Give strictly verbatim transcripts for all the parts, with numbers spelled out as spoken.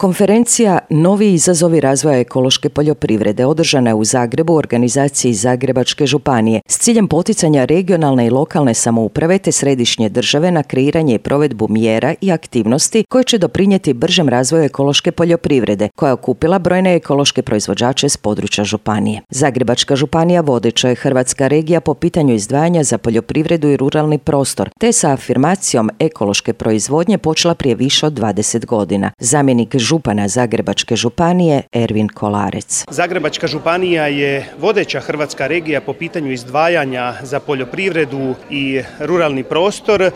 Konferencija Novi izazovi razvoja ekološke poljoprivrede održana je u Zagrebu u organizaciji Zagrebačke županije s ciljem poticanja regionalne i lokalne samouprave te središnje države na kreiranje i provedbu mjera i aktivnosti koje će doprinijeti bržem razvoju ekološke poljoprivrede, koja je okupila brojne ekološke proizvođače s područja županije. Zagrebačka županija vodeća je hrvatska regija po pitanju izdvajanja za poljoprivredu i ruralni prostor, te sa afirmacijom ekološke proizvodnje počela prije više od dvadeset godina. Zamjenik župana Zagrebačke županije Ervin Kolarec. Zagrebačka županija je vodeća hrvatska regija po pitanju izdvajanja za poljoprivredu i ruralni prostor. E,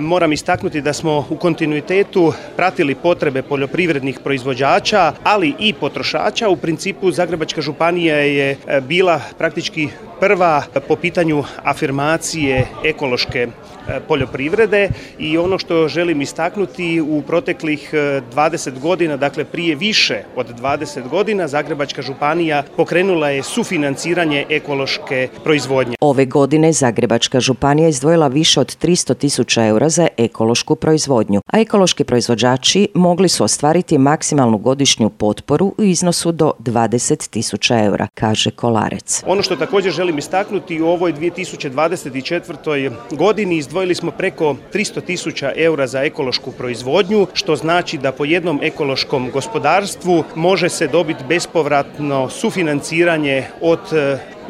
moram istaknuti da smo u kontinuitetu pratili potrebe poljoprivrednih proizvođača, ali i potrošača. U principu Zagrebačka županija je bila praktički prva po pitanju afirmacije ekološke poljoprivrede i ono što želim istaknuti u proteklih dvadeset godina, dakle prije više od dvadeset godina, Zagrebačka županija pokrenula je sufinanciranje ekološke proizvodnje. Ove godine Zagrebačka županija izdvojila više od tristo tisuća eura za ekološku proizvodnju, a ekološki proizvođači mogli su ostvariti maksimalnu godišnju potporu u iznosu do dvadeset tisuća eura, kaže Kolarec. Ono što također želim istaknuti, u ovoj dvije tisuće dvadeset četvrtoj godini izdvojili smo preko tristo tisuća eura za ekološku proizvodnju, što znači da po jednom ekološkom gospodarstvu može se dobiti bespovratno sufinanciranje od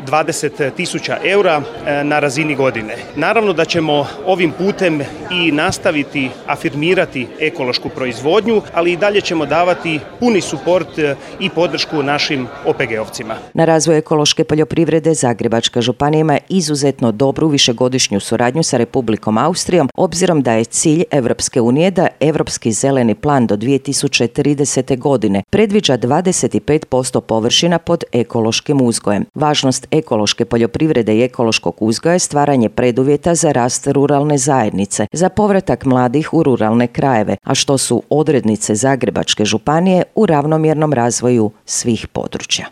dvadeset tisuća eura na razini godine. Naravno da ćemo ovim putem i nastaviti afirmirati ekološku proizvodnju, ali i dalje ćemo davati puni suport i podršku našim O P G-ovcima. Na razvoj ekološke poljoprivrede Zagrebačka županija ima izuzetno dobru višegodišnju suradnju sa Republikom Austrijom, obzirom da je cilj Europske unije da Europski zeleni plan do dvije tisuće tridesete. godine predviđa dvadeset pet posto površina pod ekološkim uzgojem. Važnost ekološke poljoprivrede i ekološkog uzgoja je stvaranje preduvjeta za rast ruralne zajednice, za povratak mladih u ruralne krajeve, a što su odrednice Zagrebačke županije u ravnomjernom razvoju svih područja.